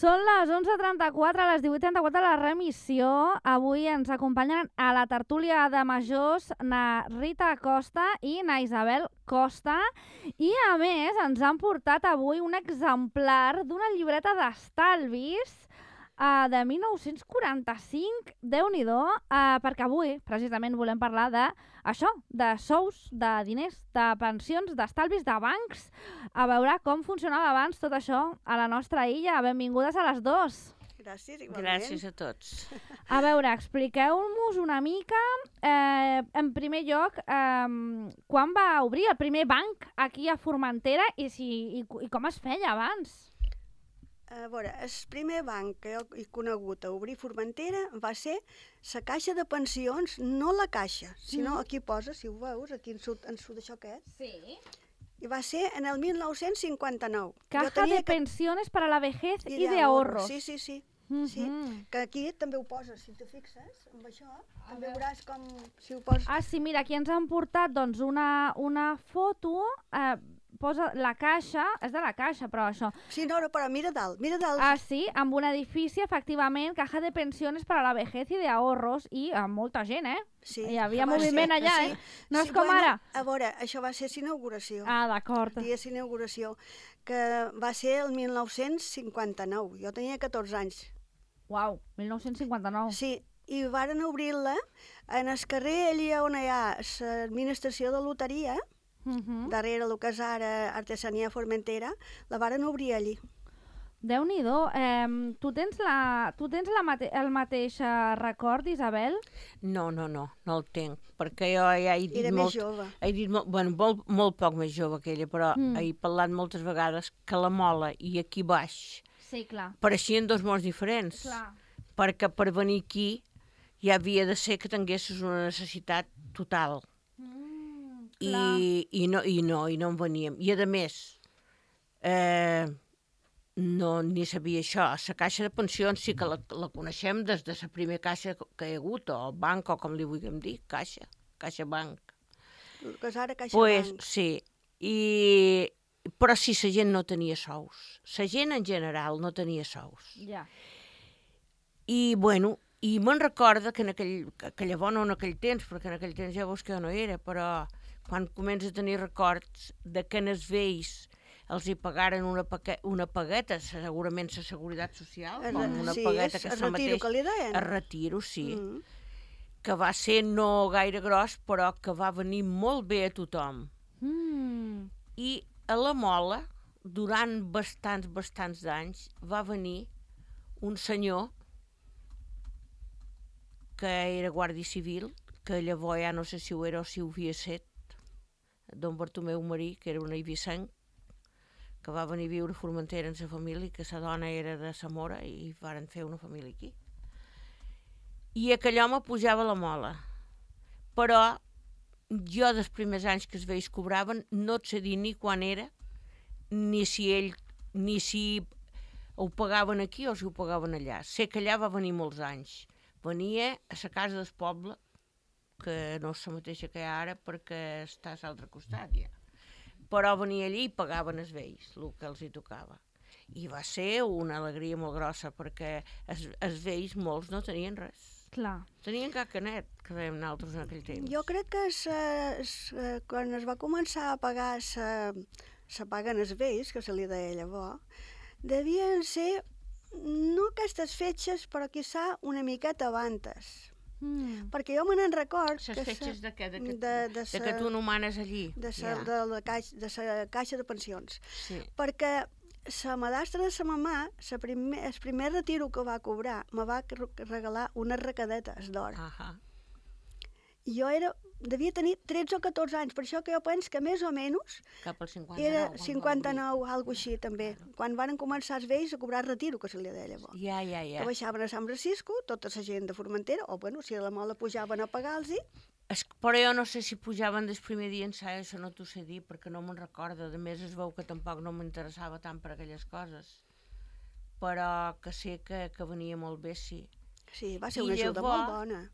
Són les 11:34, les 18:34 de la remissió. Avui ens acompanyen a la tertúlia de majors na Rita Costa i na Isabel Costa. I a més ens han portat avui un exemplar d'una llibreta d'estalvis de 1945, Déu-n'hi-do, perquè avui precisament volem parlar d'això, de sous, de diners, de pensions, d'estalvis, de bancs, a veure com funcionava abans tot això a la nostra illa. Benvingudes a les dues. Gràcies, igualment. Gràcies a tots. A veure, expliqueu-nos una mica, en primer lloc, quan va obrir el primer banc aquí a Formentera i com es feia abans? A veure, el primer banc que jo he conegut a obrir Formentera va ser la caixa de pensions, no la caixa, sinó aquí posa, si ho veus, aquí en sud d'això que és. Sí. I va ser en el 1959. Caja de pensiones para la vejez y de ahorros. Sí. Sí, que aquí també ho poses, si te fixes, amb això, també veuràs com si ho poses. Ah, sí, mira, aquí ens han portat doncs, una foto, posa la caixa, és de la caixa, però això. Sí, no, però mira dalt. Ah, sí, amb un edifici, efectivament, caja de pensiones para la vejez y de ahorros, i amb molta gent, Sí, hi havia moviment allà, sí. No és com ara. A veure, això va ser l'inauguració. Ah, d'acord. El dia d'inauguració, que va ser el 1959. Jo tenia 14 anys. Uau, 1959. Sí, i varen obrir-la en el carrer allà on hi ha l'administració de loteria, darrere el que és ara Artesania Formentera, la varen obrir allí. Déu-n'hi-do. Tu tens el mateix record, Isabel? No el tenc, perquè jo ja he dit Era molt... més jove. He dit molt poc més jove que ella, però he parlat moltes vegades que la Mola i aquí baix Sí, clar. pareixien dos mons diferents. Clar. Perquè per venir aquí ja havia de ser que tinguessis una necessitat total. I no en veníem. I a més, no ni sabia això. La caixa de pensions sí que la coneixem des de la primera caixa que hi ha hagut, o banc, o com li vulguem dir, caixa banc. Que és ara caixa Pues, banc. sí, però sí, la gent no tenia sous. La gent en general no tenia sous. Ja. I, bueno, i me'n recorda que llavors no en aquell temps, perquè en aquell temps ja veus que jo no era, però quan comença a tenir records de que en els vells els hi pagaren una pagueta, segurament la Seguretat Social, com una pagueta que el retiro que li deien. El retiro, sí, que va ser no gaire gros, però que va venir molt bé a tothom. I a la Mola, durant bastants d'anys, va venir un senyor que era guàrdia civil, que llavors ja no sé si ho era o si ho havia set, don Bartomeu Marí, que era un eivissenc, que va venir a viure a Formentera amb sa família, que sa dona era de Zamora i varen fer una família aquí. I aquell home pujava a la Mola. Però jo, dels primers anys que els vells cobraven, no et sé dir ni quan era, ni si ho pagaven aquí o si ho pagaven allà. Sé que allà va venir molts anys. Venia a la casa del poble, que no és la mateixa que hi ha ara perquè està a l'altre costat ja. Però venia allí i pagaven els vells, el que els hi tocava. I va ser una alegria molt grossa perquè els vells molts no tenien res. Clar. Tenien cacanet, que dèiem nosaltres en aquell temps. Jo crec que quan es va començar a pagar la paga en els vells, que se li deia llavors, devien ser no aquestes fetges, però quizà una miqueta abans. Perquè jo me n'en record... Les fetges de què? De que tu nomanes allí? De la caixa de pensions. Sí. Perquè la madastra de sa mamà, el primer retiro que va cobrar, me va regalar unes recadetes d'or. Jo devia tenir 13 o 14 anys, per això que jo penso que més o menys cap al 59. Era 59, alguna així també, quan van començar els vells a cobrar retiro, que se li deia llavors. Ja. Que baixaven a Sant Francisco, tota la gent de Formentera, o bueno, si a la Mola pujaven a pagar-los. Però jo no sé si pujaven des primer dia en ençà, això no t'ho sé dir, perquè no me'n recordo. A més, es veu que tampoc no m'interessava tant per aquelles coses. Però que sé que venia molt bé, sí. Sí, va ser una ajuda molt bona.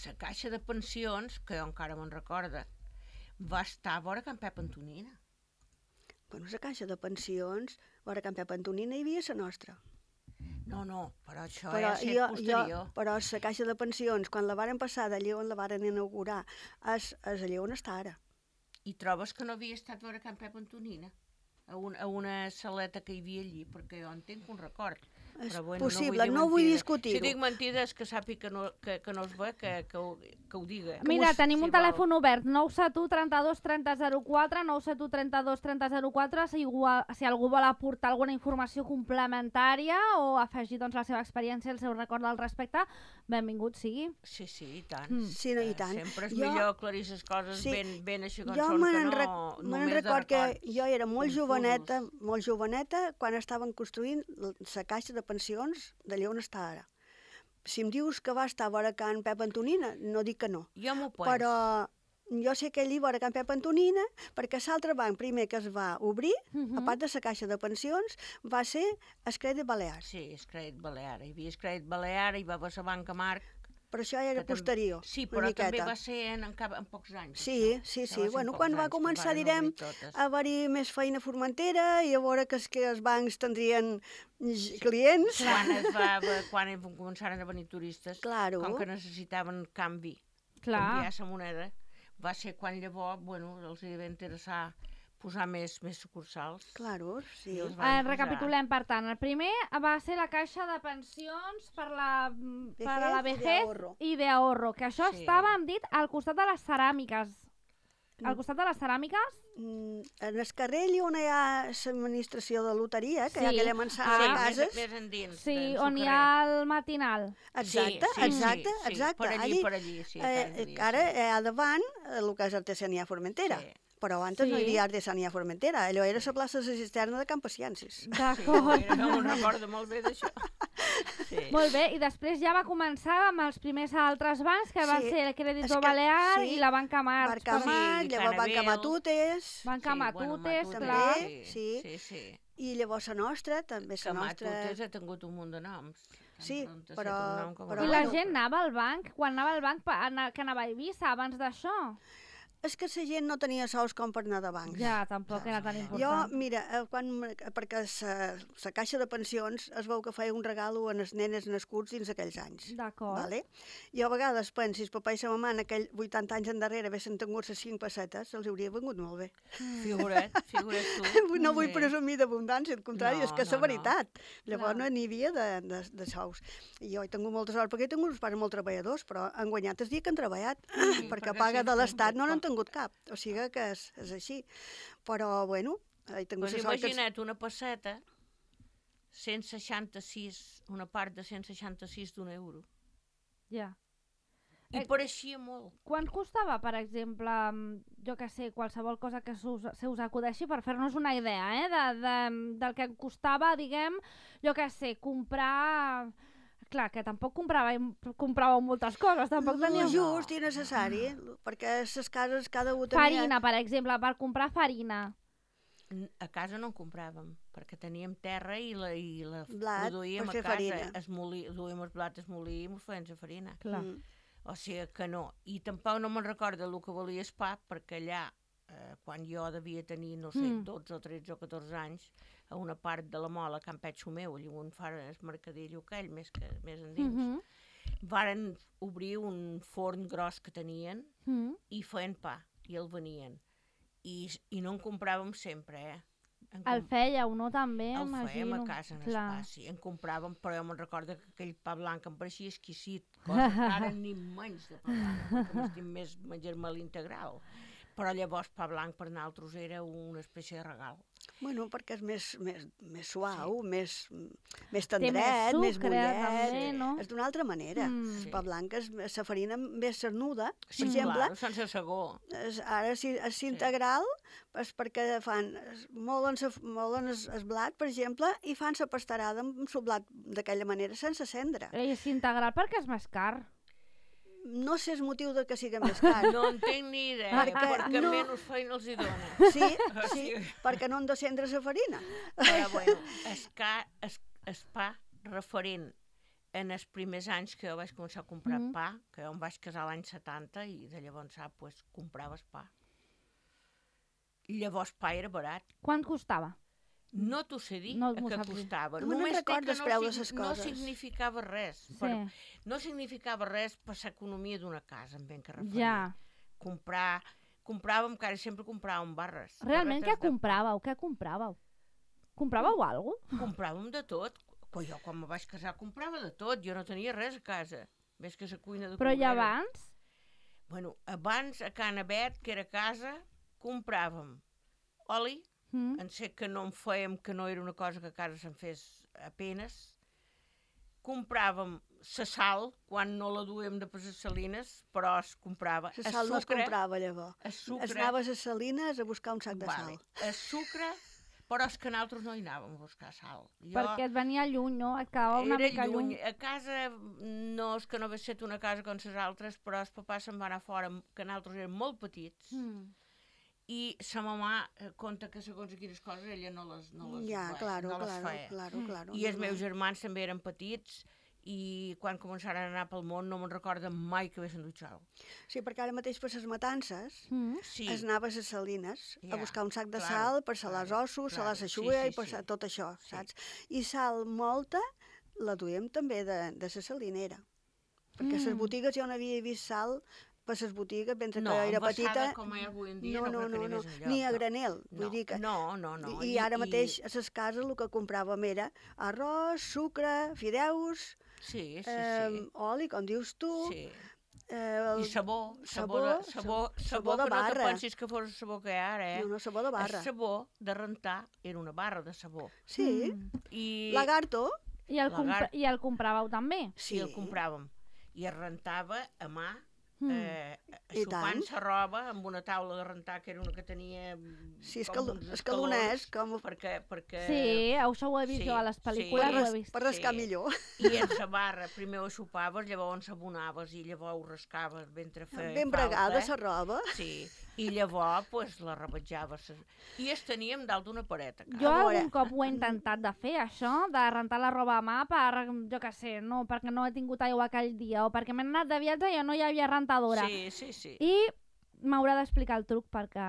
La caixa de pensions, que jo encara me'n recorda, va estar a vora Can Pep Antonina. Bueno, la caixa de pensions, vora Can Pep Antonina hi havia la nostra. No, però això ja ha estat posterior. Però la caixa de pensions, quan la varen passar d'allà on la varen inaugurar, és allà on està ara. I trobes que no havia estat a veure Can Pep Antonina? A una saleta que hi havia allí, perquè jo en tinc un record. És però, possible, no vull discutir-ho. Si dic mentides, que sàpiga que no es ve, que ho diga. Mira, tenim un telèfon obert, 971 32 30 04, 971 32 30 04, si algú vol aportar alguna informació complementària o afegir doncs, la seva experiència, el seu record al respecte, benvingut sigui. Sí, i tant. Sí, no, i tant. Sempre és millor aclarir les coses ben així com són, Jo que no només de record que records. jo era molt joveneta, quan estaven construint la caixa de pensions d'allà on està ara. Si em dius que va estar a vora Can Pep Antonina, no dic que no. Jo m'ho penso. Però jo sé que allí vora Can Pep Antonina, perquè l'altre banc primer que es va obrir, a part de la caixa de pensions, va ser el Crèdit Balear. Sí, el Crèdit Balear. Hi havia el Crèdit Balear, hi va haver la Banca Marc. Però això ja era posterior, sí, una però miqueta. també va ser en pocs anys. Sí. Bueno, quan va començar, direm, a haver-hi més feina a Formentera i a veure que els bancs tindrien clients. Quan començaren a venir turistes, Claro. com que necessitaven canviar la moneda, va ser quan llavors, els hi va interessar posar més sucursals. Claro, sí. Recapitulem, per tant, el primer va ser la caixa de pensions per a la vejez i d'ahorro, que això estava, hem dit, al costat de les ceràmiques. Al costat de les ceràmiques? En el carrer on hi ha l'administració de loteria, que hi ha aquella mansana de cases. Més endins. Sí, on hi ha el matinal. Exacte. Per allí, sí. Ara hi ha davant el que és Artesania Formentera. Sí. Però abans no hi havia Artesania Formentera. Allò era la plaça de la cisterna de Campasiensis. D'acord. Sí, no me'n recordo molt bé d'això. Sí. Molt bé, i després ja va començar amb els primers altres bancs, que van ser el Crèdit Balear i la Banca Marc. Banca Marc, llavors Banca Matutes. Banca Matutes, també, clar. Sí. I llavors la nostra, també la nostra... Matutes ha tingut un munt de noms. Sí, però... I la gent anava al banc? Quan anava al banc, que anava a Eivissa abans d'això? És que la gent no tenia sous com per anar de bancs. Ja, tampoc era tan important. Jo, mira, perquè la caixa de pensions es veu que feia un regalo a les nenes nascuts dins aquells anys. D'acord. Vale? Jo a vegades penso, si el papa i la mamà en aquell 80 anys endarrere haguessin tingut les 5 pessetes, els hauria vengut molt bé. Figura't tu. No vull presumir d'abundància, al contrari, és que és la veritat. Llavors no n'hi havia de sous. I jo he tingut molta sort, perquè he tingut uns pares molt treballadors, però han guanyat el dia que han treballat, perquè paga de l'Estat no n'han tingut cap, o sigui que és així. Però, bueno, he tingut la sort que... Imagina't una pesseta, 166, una part de 166 d'un euro. Ja. I pareixia molt. Quant costava, per exemple, jo que sé, qualsevol cosa que se us acudeixi per fer-nos una idea, del que costava, diguem, jo que sé, comprar... Clar, que tampoc compràveu moltes coses, tampoc teníeu... Just i necessari, perquè les cases cada un tenia... Farina, per exemple, per comprar farina. A casa no en compràvem, perquè teníem terra i la produïem a casa. Duíem el blat, es molí i mos feien la farina. Clar. O sigui que no. I tampoc no me'n recordo el que valia el pa, perquè allà, quan jo devia tenir, no sé, 12 o 13 o 14 anys, a una part de la Mola, a Can Petxo meu, allà on fa el mercadillo aquell, més endins, varen obrir un forn gros que tenien i feien pa, i el venien. I no en compràvem sempre, El fèieu, no, també, imagino. El fèiem a casa, en el Clar. pa, sí. En compràvem, però jo me'n recordo que aquell pa blanc em pareixia exquisit, cosa que ara ni menys de pa blanc, perquè m'estim més menjar-me l'integral. Però llavors pa blanc per nosaltres era una espècie de regal. Bueno, perquè és més suau, més tendret, més bullet, no? és d'una altra manera. El pa blanc és la farina més cernuda, per Sí, exemple. clar, sense segó. Ara, si és integral, és perquè molen el blat, per exemple, i fan la pastarada amb el blat d'aquella manera, sense cendra. És integral perquè és més car. No sé el motiu de que sigui més car. No en tinc ni idea, perquè no. menys feina els hi dona. Sí, perquè no han de cendre la farina. Però bueno, el pa referent en els primers anys que jo vaig començar a comprar pa, que jo em vaig casar l'any 70 i de llavors compraves pa. I llavors pa era barat. Quant costava? No t'ho sé dir No a m'ho què saps dir. costava. No me'n Només sé recordo que els preus de ses no coses. significava res. Sí. No significava res per l'economia d'una casa, en ben que referia. Ja. Compràvem, que ara sempre compràvem barres. Realment, què barretes de pa. compràveu? Què compràveu? Compràveu alguna cosa? Compràvem de tot. Jo, quan me vaig casar, comprava de tot. Jo no tenia res a casa. Més que la cuina de Però i Cobrera. abans? Bueno, abans, a Can Abet, que era casa, compràvem oli, en sé que no en fèiem, que no era una cosa que a casa se'n fes apenes. Compràvem la sal, quan no la duem de per les salines, però es comprava. La sal no es comprava, llavors. El sucre. Es anaves a Salines a buscar un sac de sal. El sucre, però és que nosaltres no hi anàvem a buscar sal. Perquè et venia lluny, no? Et quedava una mica lluny. A casa, no és que no hagués estat una casa com les altres, però el papà se'n va anar fora, que nosaltres érem molt petits, i sa mamà conta que segons quines coses ella no les feia. Claro. I els meus germans també eren petits, i quan començaren a anar pel món no me'n recordo mai que haguessin dut sal. Sí, perquè ara mateix per les matances Sí. es anaves a Salines a buscar un sac de claro, sal per salar els ossos, salar la xuga i per tot això, saps? I sal molta la duem també de la salinera. Perquè a les botigues jo no havia vist sal per les botigues, mentre que jo era petita. Com hi ha avui en dia, no, més enlloc, ni a granel, vull dir que... No. I ara mateix a les cases el que compràvem era arròs, sucre, fideus, Sí. oli, com dius tu, Sí. I sabó de barra. No te pensis que fos el sabó que hi ha ara, No, sabó de barra. El sabó de rentar era una barra de sabó. Sí, I lagarto. I el compràveu també? Sí, el compràvem. I es rentava a mà, tant. sopant la roba amb una taula de rentar que era una que tenia Sí, escaloners, com... perquè... Sí, això ho he vist jo a les pel·lícules, ho he vist. Per rascar millor. I en la barra primer ho sopaves, llavors s'abonaves i llavors ho rascaves mentre feia Ben bregada la roba. Sí, i llavors pues, la rebatjaves. I es teníem dalt d'una paret. Jo algun cop ho he intentat de fer, això, de rentar la roba a mà per, jo què sé, no, perquè no he tingut aigua aquell dia o perquè m'he anat de viatge i no hi havia rentadora. Sí. I m'haurà d'explicar el truc perquè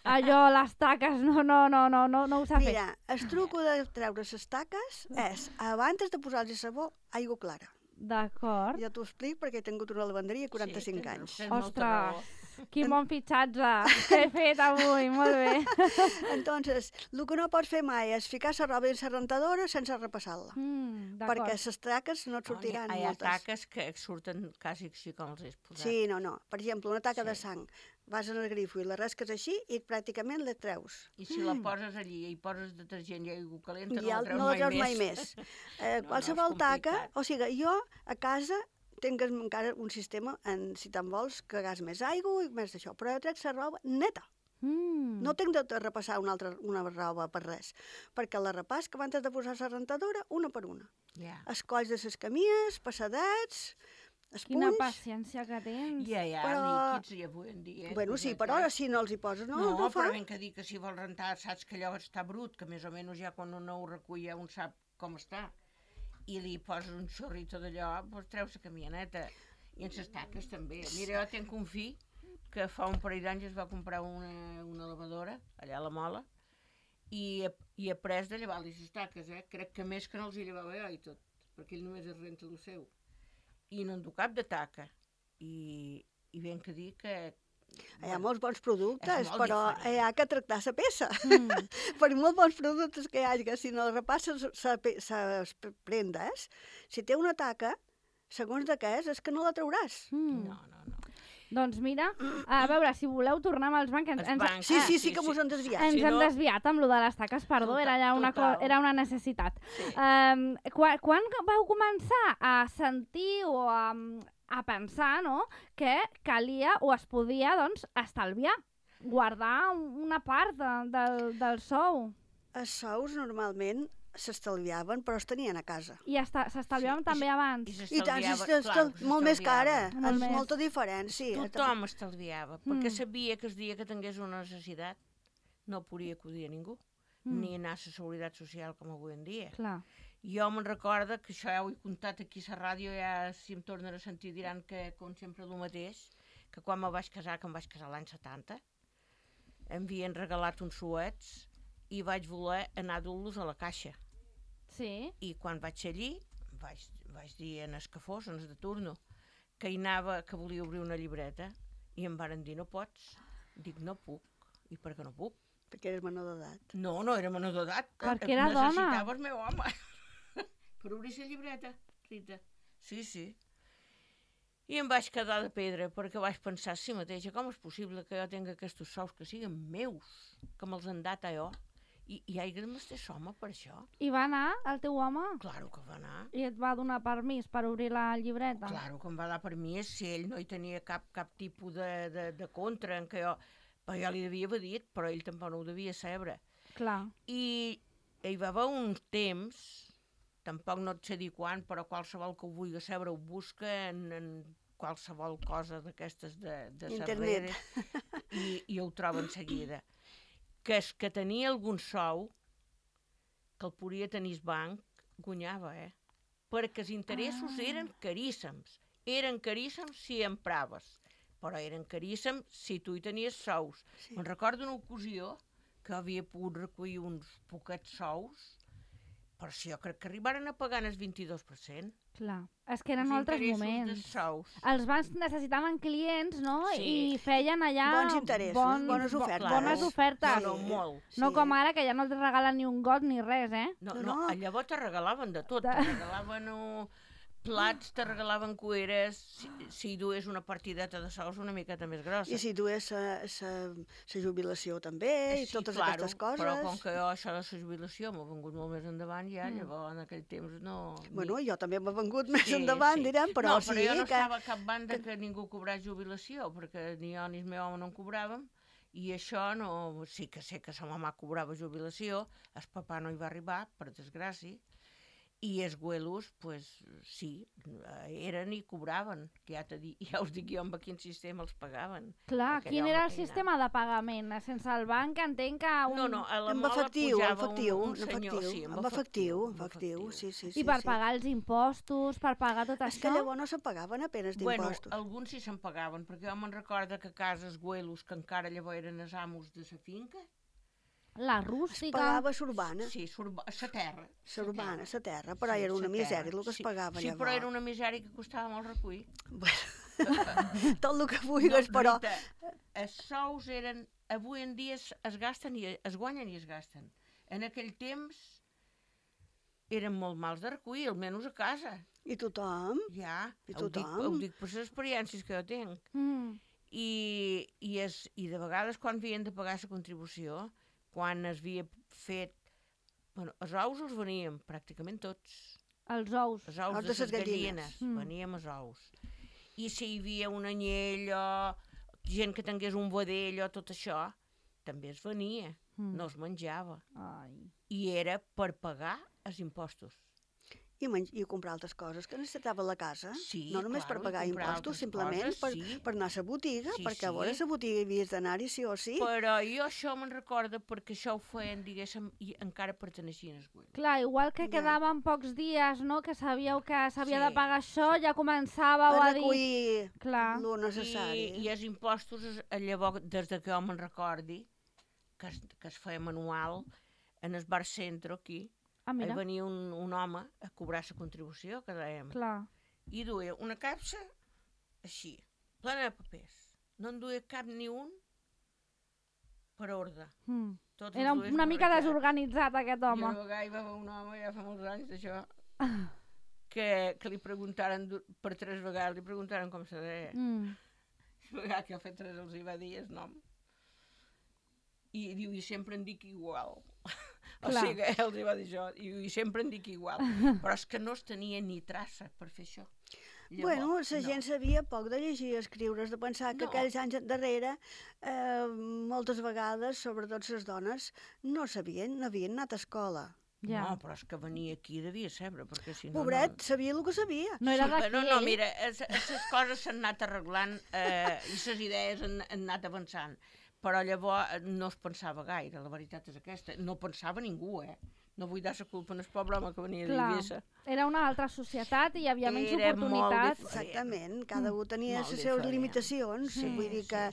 allò, les taques, no ho sap fer. Mira, el truc de treure les taques és, abans de posar-hi sabó, aigua clara. D'acord. Ja t'ho explic perquè he tingut una lavanderia 45 anys. Ostres, quin bon fitxatge que he fet avui, molt bé. Entonces, el que no pots fer mai és ficar la roba en la rentadora sense repassar-la. Perquè les taques no et sortiran moltes. Hi ha taques que surten quasi així com els has posat. Sí, no. Per exemple, una taca de sang. Vas en el grifo i la rasques així i pràcticament la treus. I si la poses allí i poses detergent i aigua calenta, no la treus mai més. Qualsevol taca, o sigui, jo a casa tinc encara un sistema, si te'n vols, que gas més aigua i més d'això, però jo trec la roba neta. No tinc de repassar una roba per res, perquè la repàs que abans de posar la rentadora, una per una. Els colls de les camies, passadets, els punys... Quina paciència que tens. Ja, líquids i avui en dia. Bueno, sí, però si no els hi poses, no fa. Però ben que dir que si vols rentar, saps que allò està brut, que més o menys ja quan un no ho recull ja un sap com està, i li poses un xorrito d'allò, doncs treus la camioneta. I en les taques també. Mira, jo tinc un fill que fa un parell d'anys es va comprar una lavadora, allà a la Mola, i ha pres de llevar-li les taques, crec que més que no els hi llevava jo i tot, perquè ell només es renta el seu. I no en du cap de taca. I ben que dir que... Hi ha molts bons productes, però hi ha que tractar la peça. Per molts bons productes que hi hagi, si no repasses les prendes, si té una taca, segons de què és que no la trauràs. No. Doncs mira, a veure, si voleu tornar amb els bancs... Sí, que mos hem desviat. Ens hem desviat amb lo de les taques, perdó, era una necessitat. Quan vau començar a sentir o a pensar, no?, que calia o es podia, doncs, estalviar, guardar una part del sou? Els sous normalment s'estalviaven, però es tenien a casa. I s'estalviaven també abans? I tant, molt més cara, és molta diferència. Tothom estalviava, perquè sabia que el dia que tingués una necessitat no podia acudir a ningú, ni anar a la Seguretat Social com avui en dia. Clar. Jo me'n recordo, que això ja ho he contat aquí a la ràdio, ja si em tornen a sentir diran que, com sempre, el mateix, que quan me vaig casar, que em vaig casar l'any 70, em havien regalat uns suets i vaig voler anar a dur-los a la caixa. Sí. I quan vaig ser allí, vaig dir en els que fos, en els de turno, que hi anava, que volia obrir una llibreta, i em varen dir, no pots. Dic, no puc. I per què no puc? Perquè eres menor d'edat. No era menor d'edat. Perquè era dona. Necessitava el meu home per obrir la llibreta, Rita. Sí. I em vaig quedar de pedra, perquè vaig pensar a si mateixa, com és possible que jo tingui aquests sous que siguin meus, que me'ls han dat a jo, i hagi de m'estar home per això? I va anar el teu home? Claro que va anar. I et va donar permís per obrir la llibreta? Claro que em va dar permís, si ell no hi tenia cap tipus de contra, en què jo li devia haver dit, però ell tampoc no ho devia saber. Clar. I hi va haver un temps, tampoc no et sé dir quan, però qualsevol que ho vulgui saber ho busca en qualsevol cosa d'aquestes de Internet. i ho troba en seguida. Que és que tenia algun sou que el podia tenir el banc, guanyava, perquè els interessos eren caríssims. Eren caríssims si empraves, però eren caríssims si tu hi tenies sous. Sí. Me'n recordo una ocasió que havia pogut recollir uns poquets sous, però si jo crec que arribaren a pagar el 22%. Clar. És que eren Els altres interessos moments. dels sous. Els bancs necessitaven clients, no? Sí. I feien allà... Bons interessos, bones ofertes. Bones ofertes. No, molt. No com ara, que ja no et regalen ni un got ni res, No, No. llavors te regalaven de tot. Te regalaven plats, te regalaven cueres, si dues una partideta de sous una miqueta més grossa. I si dues la jubilació també, i totes aquestes coses. Però com que jo això de la jubilació m'ha vengut molt més endavant, ja llavors en aquell temps no... Bueno, jo també m'ha vengut més endavant, direm, però no, sí però jo no que... estava a cap banda que ningú cobrés jubilació, perquè ni jo ni el meu home no en cobràvem, i això no... Sí que sé que sa mamà cobrava jubilació, el papà no hi va arribar, per desgràcia, i els güelos, pues, sí, eren i cobraven, que ja us dic jo amb quin sistema els pagaven. Clar, quin era el sistema de pagament? Sense el banc entenc que... No, a la Amb mola efectiu, pujava un senyor. Sí, amb efectiu, sí. I per pagar els impostos, per pagar tot És això? que llavors no se pagaven apenes d'impostos. Bueno, alguns sí se'n pagaven, perquè jo me'n recordo que a cases güelos, que encara llavors eren els amos de la finca, La Es rústica... pagava l'urbana. sí, la terra. L'urbana, la terra, però era una misèria el que es pagava sí, llavors. però era una misèria que costava molt recollir. Bueno, tot el que vulguis, però... Rita, els sous eren... Avui en dia es gasten i es guanyen i es gasten. En aquell temps eren molt mals de recollir, almenys a casa. I tothom? Ja, I ho tothom? dic per les experiències que jo tinc. I de vegades quan havien de pagar la contribució, quan es havia fet... Bueno, els ous els veníem pràcticament tots. Els ous. Els ous Els de de les ses gallines. gallines, veníem els ous. I si hi havia un anyell o gent que tingués un vedell o tot això, també es venia, no es menjava. Ai. I era per pagar els impostos. I comprar altres coses que necessitava la casa. Sí, no només claro, per pagar i comprar impostos, altres simplement coses, per anar a la botiga, Sí, perquè a sí. veure la botiga hi havies d'anar-hi sí o sí. Però jo això me'n recordo perquè això ho feien, diguéssim, i encara perteneixien als güelos. Clar, igual que Ja. quedaven pocs dies, no?, que sabíeu que s'havia Sí, de pagar això, ja començàveu A a dir... recollir Clar. lo necessari. I els impostos, llavors, des de que jo me'n recordi, que es feia manual, en el bar centro aquí, Ah, hi mira, venia un home a cobrar la contribució, que dèiem, clar. i duia una capsa així, plena de papers. No en duia cap ni un per ordre. Tots els Era duia una mica barrejats. desorganitzat, aquest I home. una vegada hi va haver un home, ja fa molts anys d'això, que li preguntaren per 3 vegades, li preguntaren com se deia. La vegada que ha fet 3 els hi va dir el nom. I diu, i sempre en dic igual. O Clar. sigui, els hi va dir això, i sempre en dic igual. Però és que no es tenia ni traça per fer això. Bueno, la gent sabia poc de llegir i escriure, has de pensar que No. aquells anys darrere, moltes vegades, sobretot les dones, no sabien, no havien anat a escola. Ja. No, però és que venia aquí i devia saber, perquè si no... Pobret, sabia el que sabia. No era Sí, d'aquí, no, ell? mira, les coses s'han anat arreglant i les idees han anat avançant. Però llavors no es pensava gaire, la veritat és aquesta. No pensava ningú, No vull dar la culpa en el pobre home que venia Clar. d'Eivissa. Era una altra societat i hi havia menys Era molt oportunitats. diferent. Exactament, cada un tenia Molt les seves diferent. limitacions, vull dir que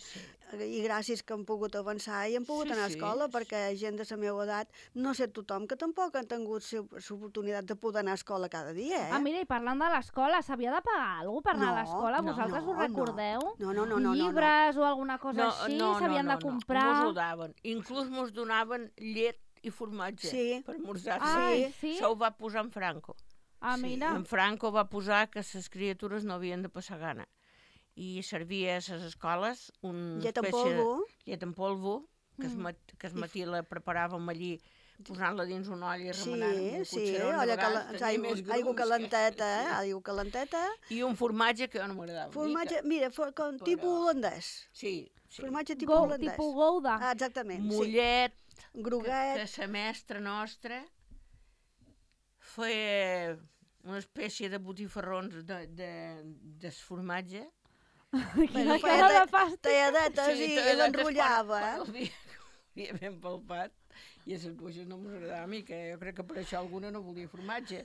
i gràcies que han pogut avançar i han pogut anar a escola, perquè gent de la meva edat, no sé tothom que tampoc han tingut l'oportunitat de poder anar a escola cada dia, Ah, mira, i parlant de l'escola, s'havia de pagar alguna cosa per anar a l'escola? no, Vosaltres us recordeu? No. Llibres o alguna cosa així? S'havien de comprar? Mos ho daven. Inclús mos donaven llet i formatge per esmorzar. Ai, sí? Això ho va posar en Franco. Ah, mira. En Franco va posar que les criatures no havien de passar gana. I servia a les escoles una llet en espècie polvo. Llet en polvo, que es matí la preparàvem allí posant-la dins una olla i remenant amb un cotxeró. Aigua calenteta, aigua calenteta. I un formatge que jo no m'agradava. Formatge, mira, com tipus holandès. Sí. Formatge tipus holandès. Tipus Gouda. Ah, exactament, Mollet, groguet. que la mestra nostra feia una espècie de botifarrons de formatge. Quina cara de fàstic. Talladetes i l'enrotllava. Havia ben palpat. I a les buixes no m'agradava a mi, que jo crec que per això alguna no volia formatge.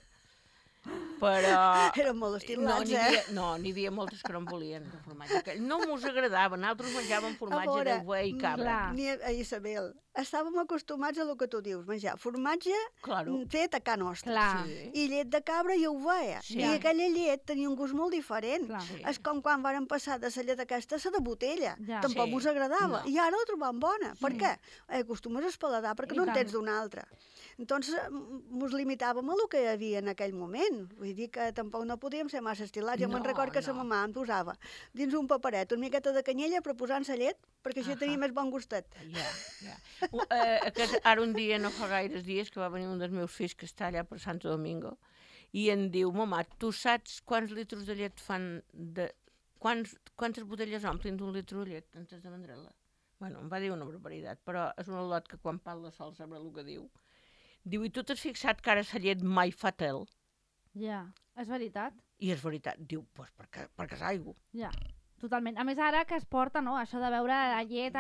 Però... Eren molt estilats, n'hi havia moltes que no en volien, de formatge. No mos agradava, nosaltres menjàvem formatge de buey i cabra. Isabel, estàvem acostumats a el que tu dius, menjar formatge fet a ca nostra. I llet de cabra ja ho veia. I aquella llet tenia un gust molt diferent. És com quan varen passar de la llet aquesta a la de botella. Tampoc us agradava. I ara la trobam bona. Per què? Acostumes a espaladar perquè no en tens d'una altra. Entonces, ens limitàvem a el que hi havia en aquell moment. Vull dir que tampoc no podíem ser massa estilats. Jo me'n recordo que la mamà em posava dins un paperet una miqueta de canyella per posar-se llet, perquè així tenia més bon gustet. Ara un dia, no fa gaires dies, que va venir un dels meus fills que està allà per Santo Domingo, i em diu, mamà, tu saps quants litres de llet fan quantes botelles omplin d'un litre de llet antes de vendre-la? Bueno, em va dir una barbaritat, però és un al·lot que quan parla sol sabrà el que diu. Diu, i tu t'has fixat que ara la llet mai fa tel? Ja, és veritat. I és veritat. Diu, doncs perquè és aigua. Ja, totalment. A més, ara que es porta, no?, això de veure la llet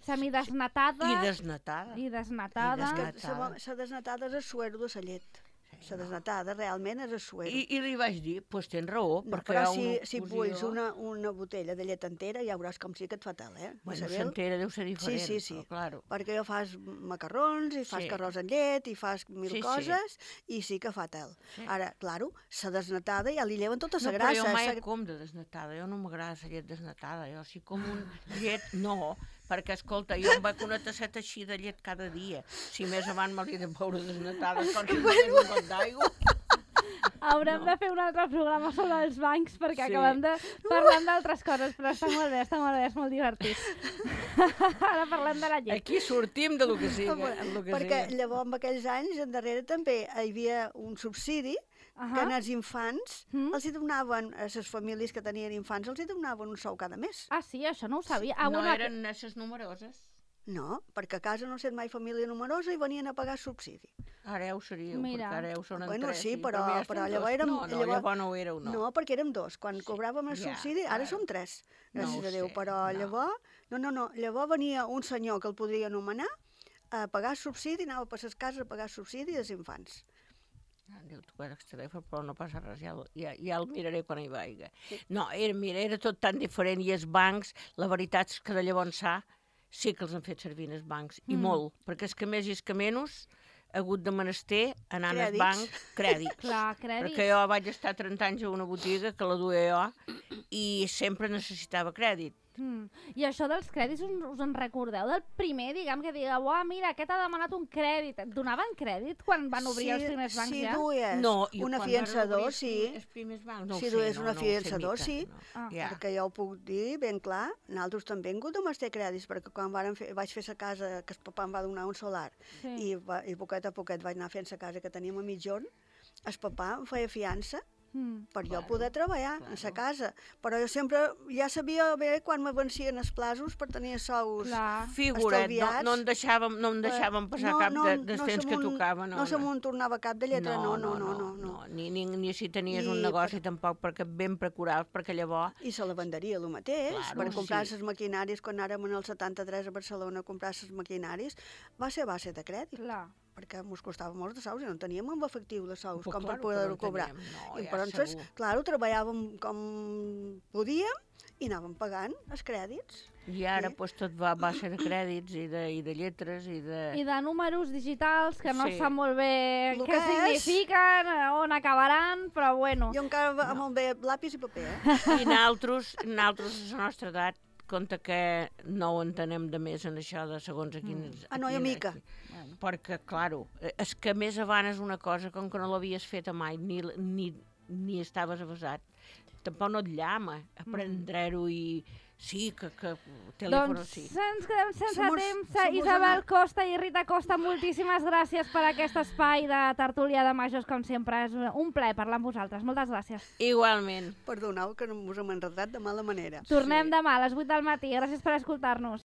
semidesnatada. I desnatada. I desnatada. És que la desnatada és el suero de la llet. La desnatada realment és el suero. I li vaig dir, doncs tens raó, perquè però si bulls una botella de llet entera, ja veuràs com sí que et fa tal, Bueno, l'entera deu ser diferent. Sí. Perquè jo fas macarrons, i fas carròs amb llet, i fas mil coses, i sí que fa tal. Ara, claro, la desnatada ja li lleven tota la grassa. No, però jo mai com de desnatada, jo no m'agrada la llet desnatada, jo si com un llet, no, perquè, escolta, jo em vaig una tasseta així de llet cada dia. Si més avant me l'he de beure desnatada, perquè no és un got d'aigua. Haurem de fer un altre programa sobre els bancs, perquè acabem de parlar d'altres coses, però està molt bé, és molt divertit. Ara parlem de la llet. Aquí sortim de lo que sigui. Perquè llavors, en aquells anys, endarrere també hi havia un subsidi que als infants els donaven, a les famílies que tenien infants, els donaven un sou cada mes. Ah, sí? Això no ho sabia. No eren esses numeroses? No, perquè a casa no sent mai família numerosa i venien a pagar subsidi. Ara ja ho seríeu, perquè ara ja ho són en tres. Bueno, sí, però llavors érem... No, llavors no ho éreu, no. No, perquè érem dos. Quan cobràvem el subsidi, ara som tres, gràcies a Déu. Però llavors... No, llavors venia un senyor que el podria anomenar a pagar subsidi, anava per les cases a pagar subsidi dels infants. Diu, tu el telèfon, però no passa res, ja el miraré quan hi vaiga. No, era tot tan diferent, i els bancs, la veritat és que de llavors sí que els han fet servir els bancs, i molt, perquè és que més i és que menys ha hagut de menester anar al banc crèdits. Clar, crèdits. Perquè jo vaig estar 30 anys a una botiga que la duia jo i sempre necessitava crèdit. I això dels crèdits us en recordeu? Del primer, diguem, que digueu, mira, aquest ha demanat un crèdit. Et donaven crèdit quan van obrir els primers bancs ja? Si duies un afiançador, sí. Els primers bancs, si duies un afiançador, sí. Perquè jo ho puc dir ben clar, nosaltres també hem hagut de menester crèdits, perquè quan vaig fer la casa, que el papà em va donar un solar, i poquet a poquet vaig anar fent la casa que teníem a mitjon, el papà em feia fiança per jo poder treballar en la casa. Però jo sempre ja sabia bé quan me vencien els plaços per tenir sous estalviats. No en deixàvem passar cap dels temps que tocava. No se m'ho tornava cap de lletra, no. Ni si tenies un negoci tampoc, perquè ben procuraves, perquè llavors... I se la venderia el mateix, per comprar les maquinaris, quan anàrem en el 73 a Barcelona a comprar les maquinaris, va ser a base de crèdit. perquè ens costava molts de sous i no teníem en efectiu de sous Pues com claro, per poder-ho que no cobrar. teníem, no, I ja per entonces, segur. clar, treballàvem com podíem i anàvem pagant els crèdits. I ara Sí. pues, tot va ser de crèdits i de lletres i de... I de números digitals que no Sí. sap molt bé Lo què que és. signifiquen, on acabaran, però bueno. Jo encara amb el bé lápiz i paper, I nosaltres, a la nostra edat, compte que no ho entenem de més en això de segons a quins... Ah, no, jo mica. Perquè, claro, és que més avant és una cosa com que no l'havies fet mai, ni estaves avasat. Tampoc no et llama aprendre-ho i... Sí, que telèfon Doncs sí. ens quedem sense Somos- temps. somos Isabel una- Costa i Rita Costa, moltíssimes gràcies per aquest espai de tertúlia de majors, com sempre. És un plaer parlar amb vosaltres. Moltes gràcies. Igualment. Perdoneu que no us hem enredat de mala manera. Tornem Sí. demà a les 8 del matí. Gràcies per escoltar-nos.